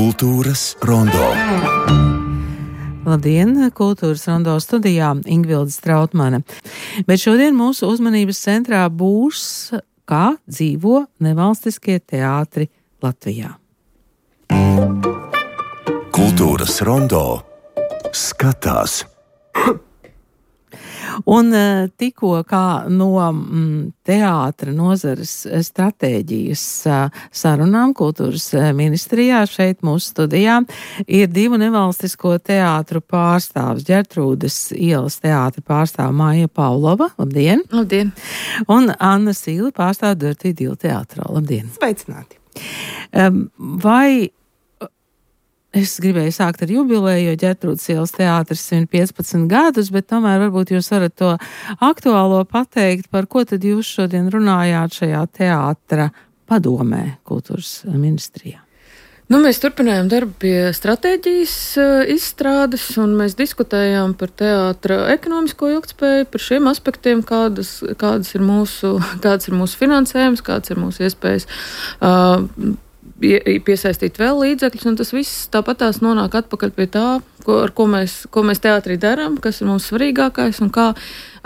Kultūras rondo. Labdien, Kultūras rondo studijā Ingvilde Strautmane. Bet šodien mūsu uzmanības centrā būs, kā dzīvo nevalstiskie teātri Latvijā. Kultūras rondo skatās. Un tikko kā no teātra nozares stratēģijas sarunām Kultūras ministrijā šeit mūsu studijā ir divu nevalstisko teātru pārstāvs. Ģertrūdes ielas teātra pārstāva Maija Paulova. Labdien! Labdien! Un Anna Sīle pārstāv Dirty Deal teātrā. Labdien! Sveicināti! Vai es gribēju sākt ar jubileju, jo Ģertrūdes ielas teātris 115 gadus, bet tomēr varbūt jūs varat to aktuālo pateikt, par ko tad jūs šodien runājāt šajā teātra padomē Kultūras ministrijā. Mēs turpinājām darbu pie stratēģijas izstrādes, un mēs diskutējām par teātra ekonomisko ilgtspēju, par šiem aspektiem, kāds ir mūsu finansējums, kāds ir mūsu iespējas piesaistīt vēl līdzekļus, un tas viss tāpatās nonāk atpakaļ pie tā, ar ko mēs teātrī darām, kas ir mums svarīgākais un kā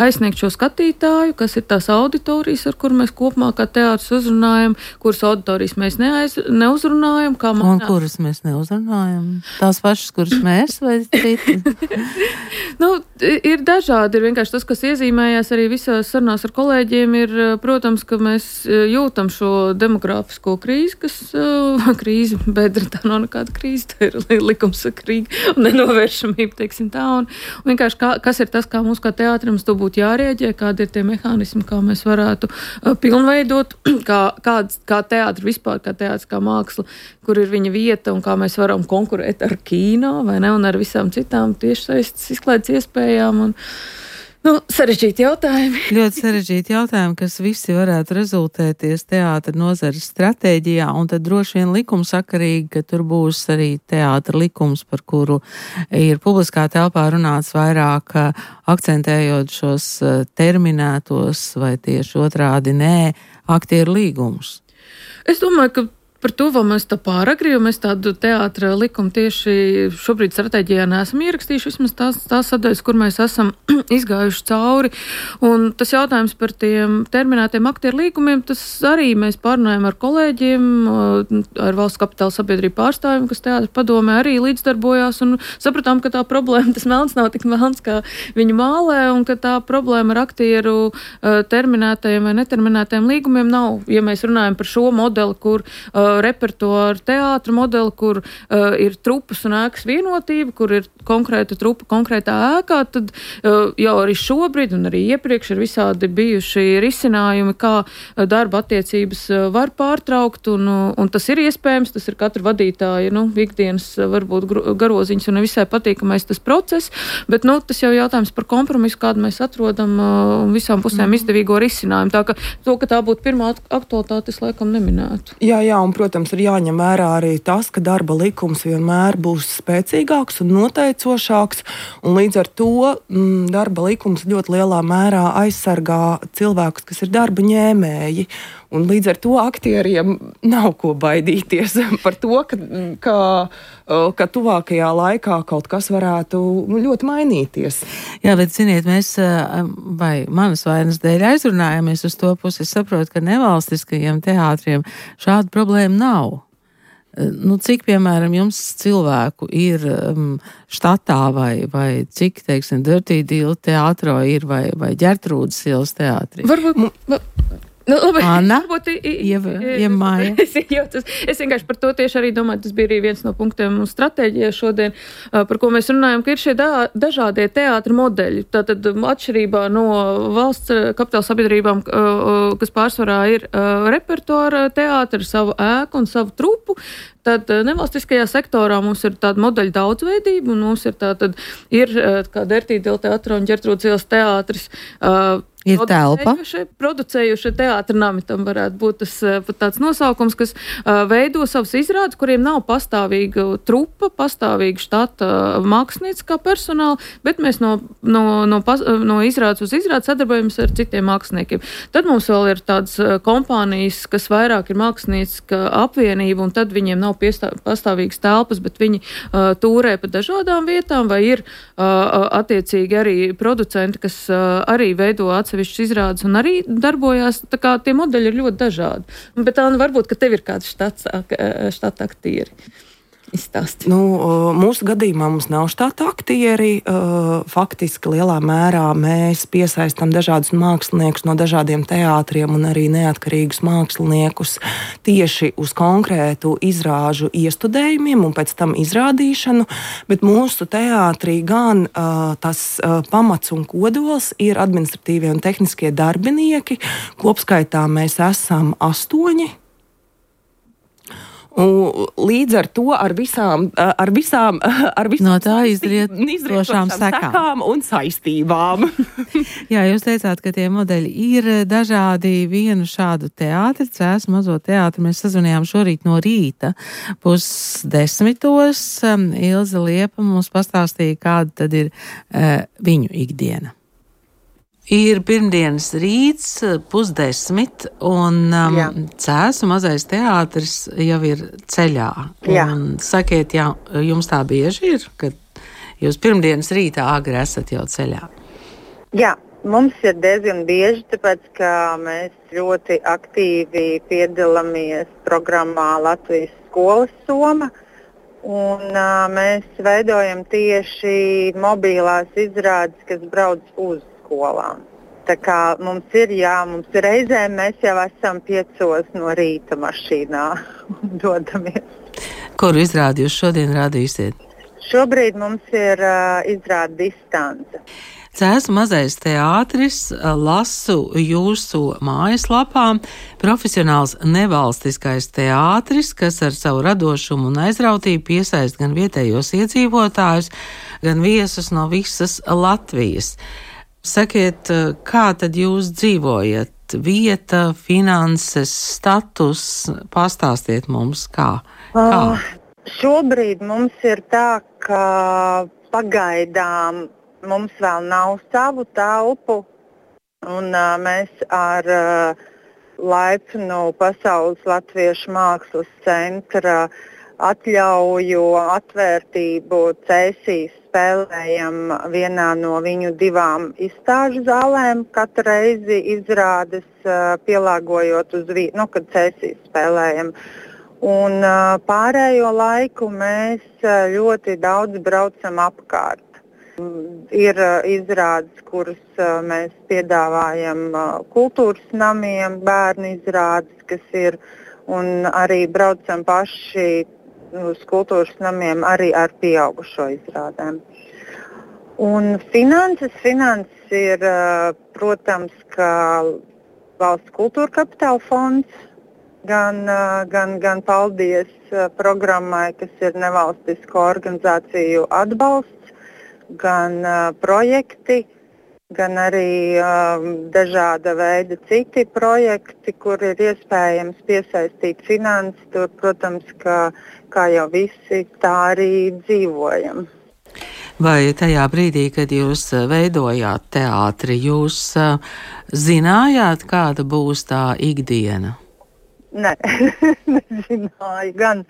aizsniegt šo skatītāju, kas ir tās auditorijas, ar kur mēs kopumā kā teātris uzrunājam, kuras auditorijas mēs neuzrunājam. Un kuras mēs neuzrunājam? Tās pašas, kuras mēs vai citi? Ir dažādi. Ir vienkārši tas, kas iezīmējās arī visās sarunās ar kolēģiem, ir, protams, ka mēs jūtam šo demografisko krīzi, krīzi, bedra, tā nav nekāda krīze, tā ir likumsakrīga un nenovēršamība, teiksim tā. Un vienkārši kas ir tas, kā mums kā teātrim to būtu jārēģē, kādi ir tie mehānismi, kā mēs varētu pilnveidot, kā teātri vispār, kā teātris, kā māksla, kur ir viņa vieta un kā mēs varam konkurēt ar kino, vai ne, un ar visām citām tiešsaistes izklaides iespējām. Sarežģīti jautājumi. Ļoti sarežģīti jautājumi, kas visi varētu rezultēties teātra nozares stratēģijā, un tad droši vien likumsakarīgi, ka tur būs arī teātra likums, par kuru ir publiskā telpā runāts vairāk, akcentējot šos terminētos vai tieši otrādi aktieru līgumus. Es domāju, ka par to vēl mēs tā pāragri, jo mēs tādu teātra likumu tieši šobrīd stratēģijā neesam ierakstījuši, vismaz tās sadaļas, kur mēs esam izgājuši cauri. Un tas jautājums par tiem terminētiem aktieru līgumiem, tas arī mēs pārunājam ar kolēģiem, ar Valsts kapitāla sabiedrību pārstāvjiem, kas teātra padomē arī līdzdarbojās, un sapratām, ka tā problēma, tas melns nav tik melns, kā viņi mālē, un ka tā problēma ar aktieru terminētajiem vai neterminētajiem līgumiem nav. Ja mēs runājam par šo modeli, kur repertuāru teātra modeli, kur ir trupas un ēkas vienotība, kur ir konkrēta trupa konkrētā ēkā, tad jau arī šobrīd un arī iepriekš ir visādi bijuši risinājumi, kā darba attiecības var pārtraukt, un tas ir iespējams, tas ir katra vadītāja, ikdienas varbūt garoziņas un nevisai patīkamais tas process, bet, tas jau jautājums par kompromisu, kādu mēs atrodam visām pusēm izdevīgo risinājumu. Tā ka to, ka tā būtu pirmā aktualitāte, es laikam neminētu. Jā, un, protams, ir jāņem vērā arī tas, ka darba likums vienmēr būs spēcīgāks un noteicošāks, un līdz ar to darba likums ļoti lielā mērā aizsargā cilvēkus, kas ir darba ņēmēji. Un līdz ar to aktieriem nav ko baidīties par to, ka tuvākajā laikā kaut kas varētu ļoti mainīties. Jā, bet ziniet, mēs vai manas vainas dēļ aizrunājamies uz to pusi. Es saprotu, ka nevalstiskajiem teātriem šāda problēma nav. Cik, piemēram, jums cilvēku ir štatā vai cik, teiksim, Dirty Deal teātro ir vai Ģertrūdes ielas teātrī? Labi, Anna, Māja. Es vienkārši par to tieši arī domāju, tas bija arī viens no punktiem mūsu stratēģijā šodien, par ko mēs runājam, ka ir šie dažādie teātra modeļi. Tātad atšķirībā no valsts kapitāla sabiedrībām, kas pārsvarā ir repertuāra teātra, savu ēku un savu trupu, tad nevalstiskajā sektorā mums ir tāda modeļa daudzveidība, un mums ir kā Dirty Deal teātra un Ģertrūdes ielas teātris. Ir telpa. Producējušie teātra nami, tam varētu būt tas pat tāds nosaukums, kas veido savus izrādes, kuriem nav pastāvīga trupa, pastāvīga štata mākslinieciskā personāla, bet mēs no izrādes uz izrādes sadarbojamies ar citiem māksliniekiem. Tad mums vēl ir tādas kompānijas, kas vairāk ir mākslinieciska apvienība, un tad viņiem nav pastāvīgas telpas, bet viņi tūrē pa dažādām vietām, vai ir attiecīgi arī producenti, kas arī veido atsevišķas izrādes un arī darbojās, tā kā tie modeļi ir ļoti dažādi. Bet Anna, varbūt, ka tev ir kāds štata aktieri. Izstāsti. Mūsu gadījumā mums nav štata aktieri. Faktiski lielā mērā mēs piesaistam dažādus māksliniekus no dažādiem teātriem un arī neatkarīgus māksliniekus tieši uz konkrētu izrāžu iestudējumiem un pēc tam izrādīšanu, bet mūsu teātrī gan tas pamats un kodols ir administratīvie un tehniskie darbinieki. Kopskaitā mēs esam 8. Līdz ar to ar visām no tā izrietošām sekām un saistībām. Jā, jūs teicāt, ka tie modeļi ir dažādi. Vienu šādu teātri, Cēsu mazo teātri, mēs sazvanījām šorīt no rīta 9:30. Ilze Liepa mums pastāstīja, kāda tad ir viņu ikdiena. Ir pirmdienas rīts, 9:30, un Cēsu mazais teātris jau ir ceļā. Un sakiet, jums tā bieži ir, kad jūs pirmdienas rītā agri esat jau ceļā? Jā, mums ir diezgan bieži, tāpēc, ka mēs ļoti aktīvi piedalāmies programmā Latvijas skolas soma, un mēs veidojam tieši mobilās izrādes, kas brauc uz skolām. Tā kā mums ir reizēm mēs jau esam 5 no rīta mašīnā un dodamies. Kuru izrādi jūs šodien rādīsiet? Šobrīd mums ir izrāde Distance. Cēsu mazais teātris, lasu jūsu mājaslapā, profesionāls nevalstiskais teātris, kas ar savu radošumu un aizrautību piesaist gan vietējos iedzīvotājus, gan viesus no visas Latvijas. Sakiet, kā tad jūs dzīvojat? Vieta, finanses, status, pastāstiet mums, kā? Šobrīd mums ir tā, ka pagaidām mums vēl nav savu telpu, un mēs ar laipnu Pasaules Latviešu mākslas centra atļauju, atvērtību Cēsīs spēlējam vienā no viņu 2 izstāžu zālēm, katru reizi izrādes pielāgojot uz vietu, kad Cēsīs spēlējam. Un pārējo laiku mēs ļoti daudz braucam apkārt. Ir izrādes, kuras mēs piedāvājam kultūras namiem, bērnu izrādes, kas ir, un arī braucam paši uz kultūras namiem arī ar pieaugušo izrādēm. Un finanses ir, protams, ka Valsts kultūra kapitāla fonds, gan paldies programmai, kas ir nevalstisko organizāciju atbalsts, gan projekti, gan arī dažāda veida citi projekti, kur ir iespējams piesaistīt finanses. Tur, protams, kā jau visi, tā arī dzīvojam. Vai tajā brīdī, kad jūs veidojāt teātri, jūs zinājāt, kāda būs tā ikdiena? Nē, nezināju gan,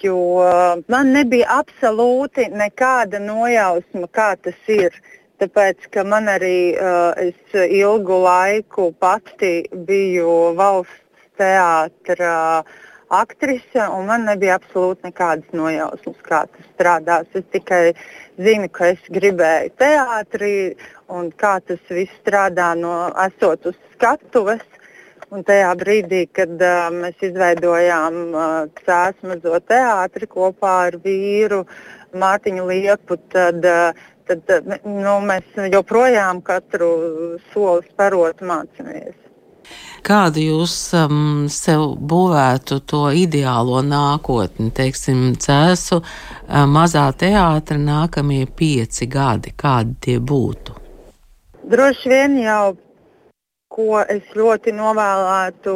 jo man nebija absolūti nekāda nojausma, kā tas ir. Tāpēc, ka man arī es ilgu laiku pati biju valsts teātra aktrise, un man nebija absolūti nekādas nojausmas, kā tas strādās. Es tikai zinu, ka es gribēju teātrī, un kā tas viss strādā esot uz skatuves. Un tajā brīdī, kad mēs izveidojām Cēsu mazo teātri kopā ar vīru Mārtiņu Liepu, tad mēs joprojām katru soli sparot mācāmies. Kādu jūs sev būvētu to ideālo nākotni, teiksim, Cēsu mazā teātra nākamie 5 gadi, kādi tie būtu? Droši vien jau ko es ļoti novēlētu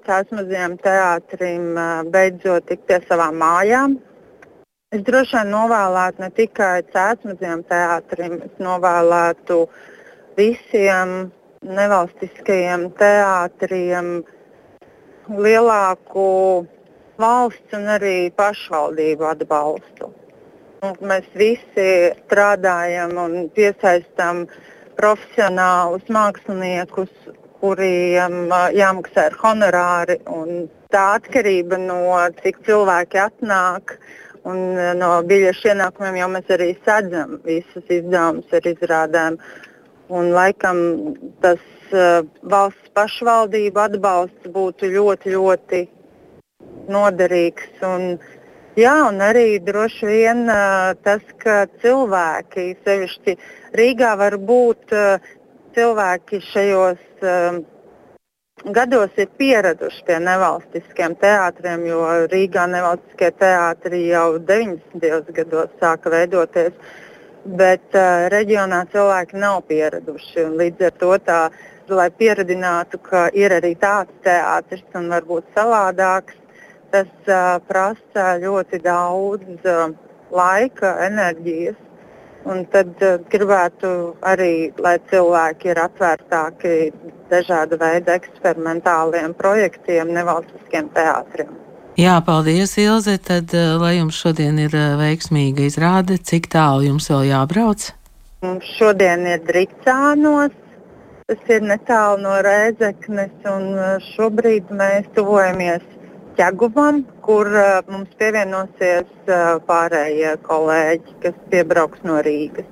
Cēsu mazajam teātrim beidzot tikt pie savām mājām. Es droši vien novēlētu ne tikai Cēsu mazajam teātrim, es novēlētu visiem nevalstiskajiem teātriem lielāku valsts un arī pašvaldību atbalstu. Mēs visi strādājam un piesaistam profesionālus māksliniekus, kuriem jāmaksā ar honorāri. Un tā atkarība no cik cilvēki atnāk un no biļešu ienākumiem jau mēs arī sadzam visus izdevumus ar izrādēm. Un laikam tas valsts pašvaldību atbalsts būtu ļoti, ļoti noderīgs. Un arī droši vien tas, ka cilvēki, sevišķi Rīgā, var būt cilvēki šajos gados ir pieraduši pie nevalstiskiem teātriem, jo Rīgā nevalstiskie teātri jau 90. gados sāka veidoties, bet reģionā cilvēki nav pieraduši. Un līdz ar to lai pieradinātu, ka ir arī tāds teātris un varbūt savādāks, tas prasa ļoti daudz laika, enerģijas. Un tad gribētu arī, lai cilvēki ir atvērtāki dažāda veida eksperimentāliem projektiem, nevalstiskiem teātriem. Jā, paldies, Ilze. Tad, lai jums šodien ir veiksmīga izrāde, cik tālu jums vēl jābrauc? Mums šodien ir Dricānos, tas ir netālu no Rēzeknes, un šobrīd mēs tuvojamies Ķeguvam, kur mums pievienosies pārējie kolēģi, kas piebrauks no Rīgas.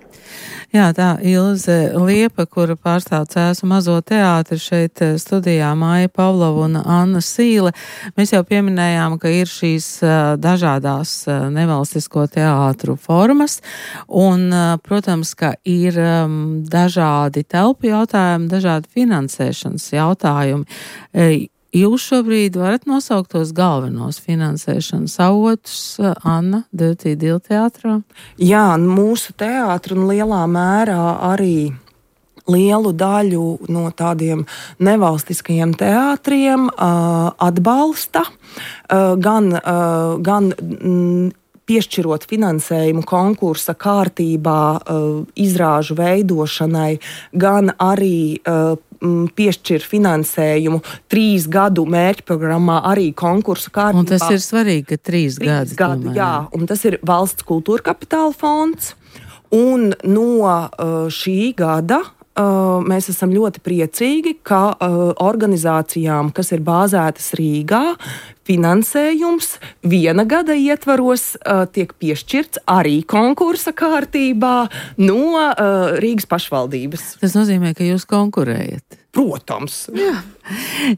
Jā, tā Ilze Liepa, kura pārstāv Cēsu mazo teātri, šeit studijā Māja Pavlova un Anna Sīle. Mēs jau pieminējām, ka ir šīs dažādās nevalstisko teātru formas, un, protams, ka ir dažādi telpu jautājumi, dažādi finansēšanas jautājumi. Jūs šobrīd varat nosaukt tos galvenos finansēšanas avotus, Anna, Diltīdila teātrā? Jā, mūsu teātri un lielā mērā arī lielu daļu no tādiem nevalstiskajiem teātriem atbalsta, gan piešķirot finansējumu konkursa kārtībā izrāžu veidošanai, gan arī piešķir finansējumu 3 gadu mērķprogrammā arī konkursu kārtībā. Un tas ir svarīgi, ka 3 gadi. Jā, un tas ir Valsts kultūra kapitāla fonds. Un no šī gada mēs esam ļoti priecīgi, ka organizācijām, kas ir bāzētas Rīgā, finansējums 1 gada ietvaros tiek piešķirts arī konkursa kārtībā no Rīgas pašvaldības. Tas nozīmē, ka jūs konkurējat. Protams.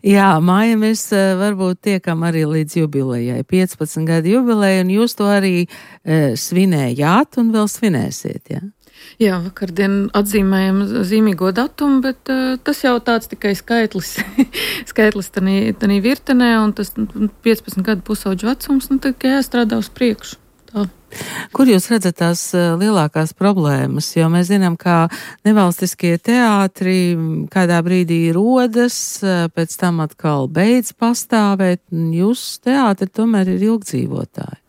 Jā, Māja, mēs varbūt tiekam arī līdz jubilejai, 15 gadu jubilejai, un jūs to arī svinējāt un vēl svinēsiet, jā? Jā, vakardien atzīmējam zīmīgo datumu, bet tas jau tāds tikai skaitlis tanī virtenē, un tas 15 gadu pusauģu vecums, tad tikai jāstrādā uz priekšu. Tā. Kur jūs redzat tās lielākās problēmas? Jo mēs zinām, ka nevalstiskie teātri kādā brīdī rodas, pēc tam atkal beidz pastāvēt, un jūsu teātri tomēr ir ilgdzīvotāji.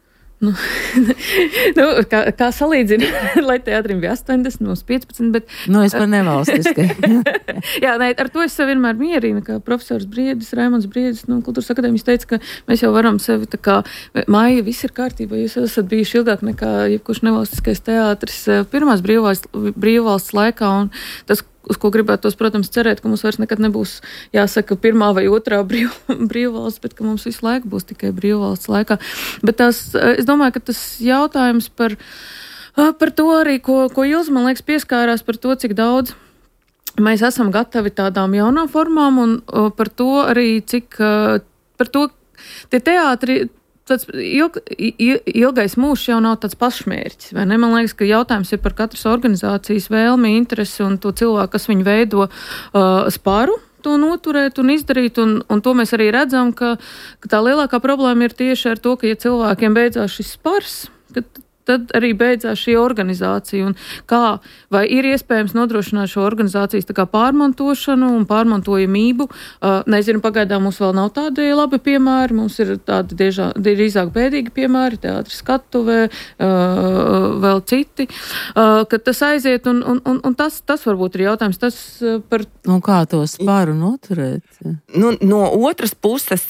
Kā salīdzina, lai teātrim bija 80, mums 15, bet... Es par nevalstiskai. Jā, ar to es sev vienmēr mierinu, kā profesors Briedis, Raimonds Briedis, Kultūras akadēmijas teica, ka mēs jau varam sevi tā kā, Māja, viss ir kārtībā, jūs esat bijuši ilgāk nekā jebkurš nevalstiskais teātris pirmās brīvvalsts laikā, un tas, uz ko gribētos, protams, cerēt, ka mums vairs nekad nebūs jāsaka pirmā vai otrā brīvvalsts, bet ka mums visu laiku būs tikai brīvvalsts laikā. Bet es domāju, ka tas jautājums par to arī, ko Ilze, man liekas, pieskārās par to, cik daudz mēs esam gatavi tādām jaunām formām, un par to arī, cik par to tie teātri. Tāds ilgais mūžs jau nav tāds pašmērķis, vai ne? Man liekas, ka jautājums ir par katras organizācijas vēlmi, interesi un to cilvēku, kas viņu veido, spāru to noturēt un izdarīt, un to mēs arī redzam, ka tā lielākā problēma ir tieši ar to, ka ja cilvēkiem beidzās šis spars, ka tad arī beidzās šī organizācija. Un kā, vai ir iespējams nodrošināt šo organizācijas tā kā pārmantošanu un pārmantojamību? Nezinu, pagaidām mums vēl nav tādi labi piemēri, mums ir tādi drīzāk bēdīgi piemēri, teātris Skatuvē, vēl citi, ka tas aiziet, un tas varbūt ir jautājums, tas par... Un kā to sparu noturēt? Nu, no otras puses,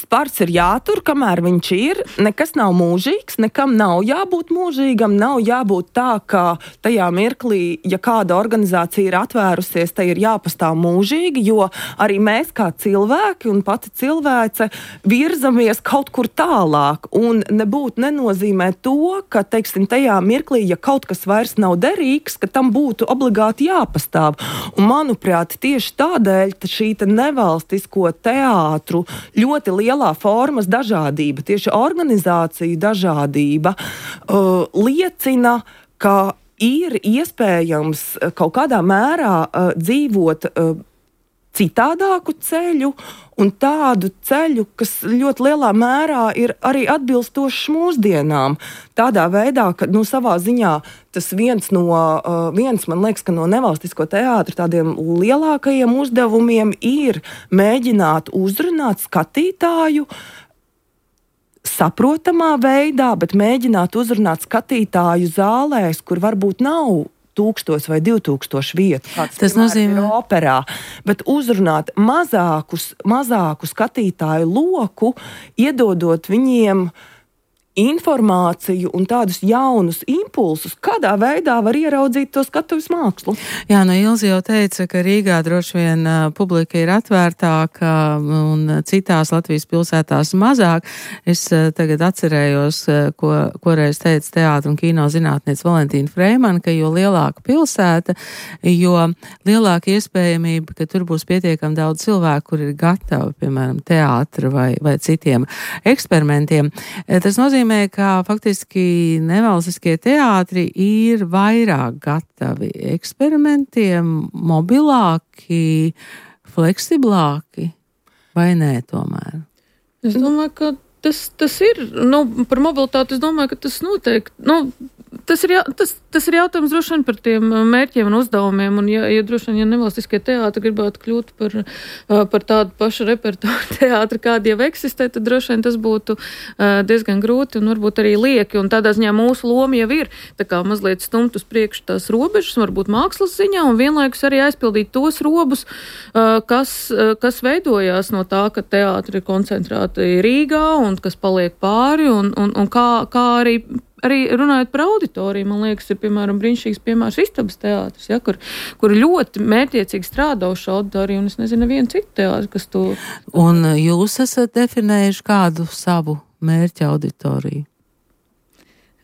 spars ir jātur, kamēr viņš ir, nekas nav mūžīgs, nekam nav jābūt mūžīgam, nav jābūt tā, ka tajā mirklī, ja kāda organizācija ir atvērusies, tai ir jāpastāv mūžīgi, jo arī mēs kā cilvēki un pati cilvēce virzamies kaut kur tālāk, un nenozīmē to, ka, teiksim, tajā mirklī, ja kaut kas vairs nav derīgs, ka tam būtu obligāti jāpastāv. Un, manuprāt, tieši tādēļ šī nevalstisko teātru ļoti lielā formas dažādība, tieši organizāciju dažādība, liecina, ka ir iespējams kaut kādā mērā dzīvot citādāku ceļu un tādu ceļu, kas ļoti lielā mērā ir arī atbilstošs mūsdienām. Tādā veidā, ka savā ziņā tas viens, man liekas, ka no nevalstisko teātra tādiem lielākajiem uzdevumiem ir mēģināt uzrunāt skatītāju saprotamā veidā, bet mēģināt uzrunāt skatītāju zālēs, kur varbūt nav 1000 vai 2000 vietu. Tas nozīmē operā, bet uzrunāt mazāku skatītāju loku, iedodot viņiem informāciju un tādus jaunus impulsus, kādā veidā var ieraudzīt to skatuves mākslu. Jā, Ilze jau teica, ka Rīgā droši vien publika ir atvērtāka un citās Latvijas pilsētās mazāk. Es tagad atcerējos, ko reiz teica teātra un kino zinātniece Valentīna Freimana, ka jo lielāka pilsēta, jo lielāka iespējamība, ka tur būs pietiekami daudz cilvēku, kur ir gatavi, piemēram, teātra vai citiem eksperimentiem. Tas nozīmē, ka faktiski nevalstiskie teātri ir vairāk gatavi eksperimentiem, mobilāki, fleksiblāki, vai nē tomēr? Es domāju, ka tas ir, par mobilitāti es domāju, ka tas noteikti, tas ir jautājums droši vien par tiem mērķiem un uzdevumiem, un ja droši vien, ja nevalstiskie teātri gribētu kļūt par tādu pašu repertuāru teātri, kādi jau eksistē, tad droši vien tas būtu diezgan grūti un varbūt arī lieki, un tādā ziņā mūsu loma jau ir tā kā mazliet stumt uz priekšu tās robežas, varbūt mākslas ziņā, un vienlaikus arī aizpildīt tos robus, kas veidojās no tā, ka teātri ir koncentrēti Rīgā un kas paliek pāri, un kā arī runājot par auditoriju, man liekas, ir, piemēram, brīnišķīgs piemērs Istabas teātris, ja, kur ļoti mērķiecīgi strādā uz šo auditoriju, un es nezinu nevienu citu teātri, kas to... Un jūs esat definējuši kādu savu mērķa auditoriju?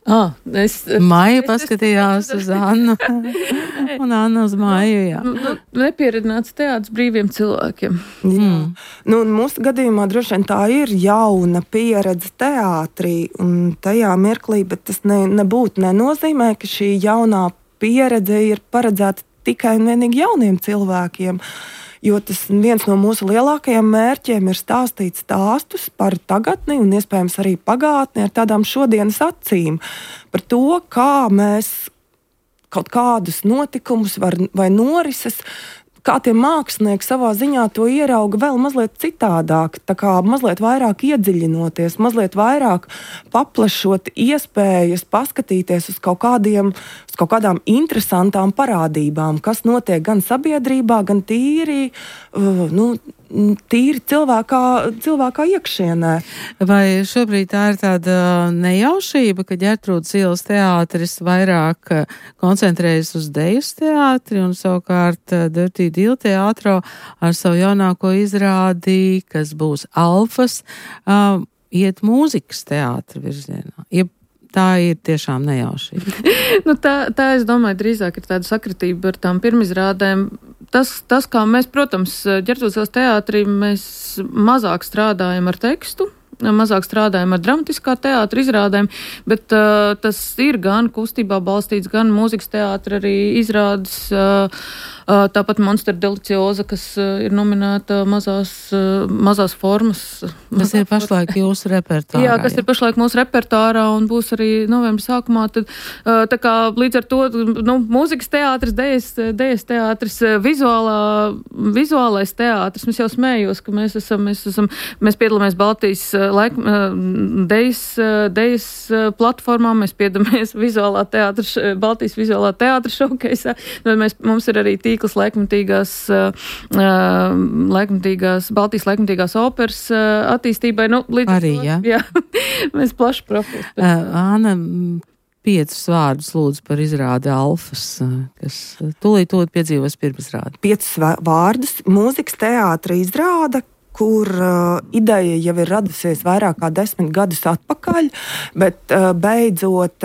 Maija paskatījās uz Annu, un Anna uz Maiju, jā. Nepieradināts teātris brīviem cilvēkiem. Mūsu gadījumā droši vien tā ir jauna pieredze teātrī un tajā mirklī, bet tas nenozīmē, ka šī jaunā pieredze ir paredzēta tikai un vienīgi jauniem cilvēkiem. Jo tas viens no mūsu lielākajiem mērķiem ir stāstīt stāstus par tagadni un iespējams arī pagātni ar tādām šodienas acīm. Par to, kā mēs kaut kādus notikumus vai norises, kā tie mākslinieki savā ziņā to ierauga vēl mazliet citādāk, tā kā mazliet vairāk iedziļinoties, mazliet vairāk paplašot iespējas paskatīties uz kaut kādām interesantām parādībām, kas notiek gan sabiedrībā, gan tīri cilvēkā iekšienē. Vai šobrīd tā ir tāda nejaušība, ka Ģertrūdes ielas teātris vairāk koncentrējas uz dejas teātri un savukārt Dirty Deal teātro ar savu jaunāko izrādi, kas būs Alfas, iet mūzikas teātra virzienā? Tā ir tiešām nejaušība. Tā es domāju, drīzāk ir tāda sakritība ar tām pirmizrādēm. Tas kā mēs, protams, Ģertrūdes ielas teātrī mēs mazāk strādājam ar tekstu, mazāk strādājam ar dramatiskā teātra izrādēm, bet tas ir gan kustībā balstīts, gan mūzikas teātra arī izrādes. Tāpat Monster Delicioza, kas ir nominēta mazās formas. Tas ir pašlaik jūsu repertārā. Jā, kas ir pašlaik mūsu repertārā un būs arī novembra sākumā. Tad, tā kā līdz ar to, mūzikas teātris, dejas teātris, vizuālais teātris. Mēs jau smējos, ka mēs piedalāmies Baltijas dejas platformā, mēs piedalāmies Baltijas vizuālā teātra šokeisā. Mums ir arī tīkls Baltijas laikmatīgās operas attīstībai. Arī, jā. Mēs plaši profils. Āna, 5 vārdus lūdzu par izrādi Alfas, kas tūlīt piedzīvos pirmizrādi. 5 vārdus mūzikas teātra izrāda, kur ideja jau ir radusies vairāk kā 10 gadus atpakaļ, bet beidzot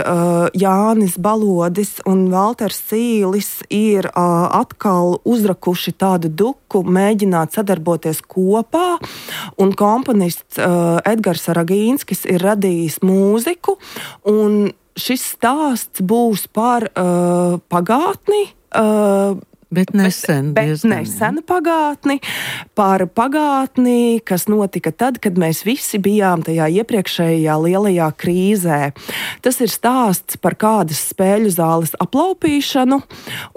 Jānis Balodis un Valters Sīlis ir atkal uzrakuši tādu duku, mēģināt sadarboties kopā, un komponists Edgars Ragīnskis ir radījis mūziku, un šis stāsts būs par pagātni, Bet nesen pagātni, par pagātni, kas notika tad, kad mēs visi bijām tajā iepriekšējā lielajā krīzē. Tas ir stāsts par kādas spēļu zāles aplaupīšanu,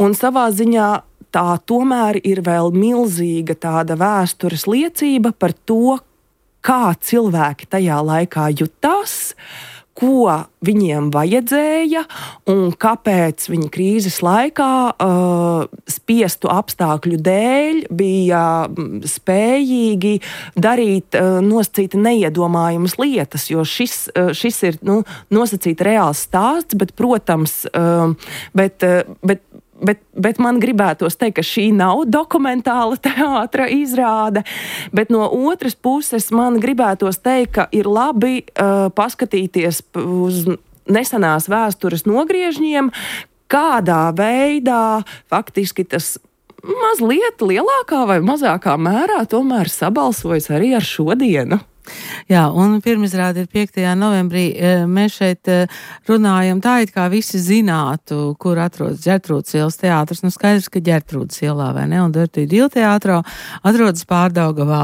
un savā ziņā tā tomēr ir vēl milzīga tāda vēstures liecība par to, kā cilvēki tajā laikā jutās, ko viņiem vajadzēja un kāpēc viņi krīzes laikā spiestu apstākļu dēļ bija spējīgi darīt nosacīti neiedomājamas lietas, jo šis ir nosacīti reāls stāsts, bet, protams, Bet man gribētos teikt, ka šī nav dokumentāla teātra izrāde, bet no otras puses man gribētos teikt, ka ir labi paskatīties uz nesenās vēstures nogriežņiem, kādā veidā faktiski tas mazliet lielākā vai mazākā mērā tomēr sabalsojas arī ar šodienu. Jā, un pirmizrāde ir 5. novembrī. Mēs šeit runājam tā, it kā visi zinātu, kur atrodas Ģertrūdes ielas teātris. Skaidrs, ka Ģertrūdes ielā, vai ne? Un Dirty Deal teātrā atrodas Pārdaugavā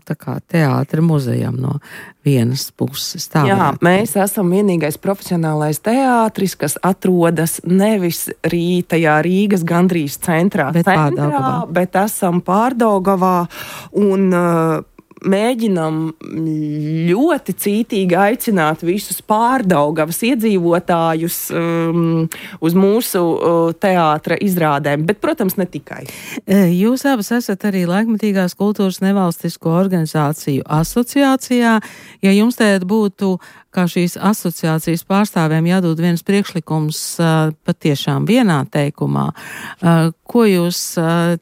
tā kā teātra muzejam no vienas puses. Jā, mēs esam vienīgais profesionālais teātris, kas atrodas nevis tajā Rīgas gandrīz centrā, bet esam Pārdaugavā un mēģinam ļoti cītīgi aicināt visus Pārdaugavas iedzīvotājus uz mūsu teātra izrādēm, bet, protams, ne tikai. Jūs abas esat arī Laikmatīgās kultūras nevalstisko organizāciju asociācijā. Ja jums tagad būtu, kā šīs asociācijas pārstāvēm, jādod viens priekšlikums patiešām vienā teikumā, ko jūs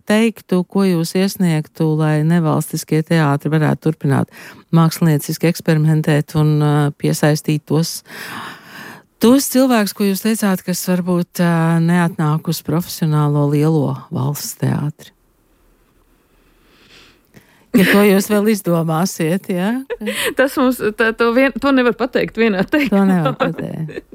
teiktu, ko jūs iesniegtu, lai nevalstiskie teātri varētu turpināt mākslinieciski eksperimentēt un piesaistīt tos cilvēkus, ko jūs teicāt, kas varbūt neatnāk uz profesionālo lielo valsts teātri? Ja ko jūs vēl izdomāsiet, jā? Tas mums, to nevar pateikt vienā teikumā. To nevar pateikt.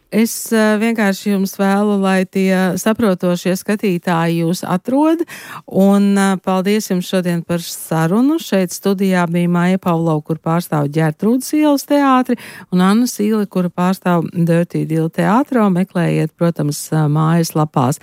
Es vienkārši jums vēlu, lai tie saprotošie skatītāji jūs atrod, un paldies jums šodien par sarunu. Šeit studijā bija Maija Pavlova, kur pārstāv Ģertrūdes ielas teātri, un Anna Sīle, kura pārstāv Dirty Deal teātro. Meklējiet, protams, mājas lapās.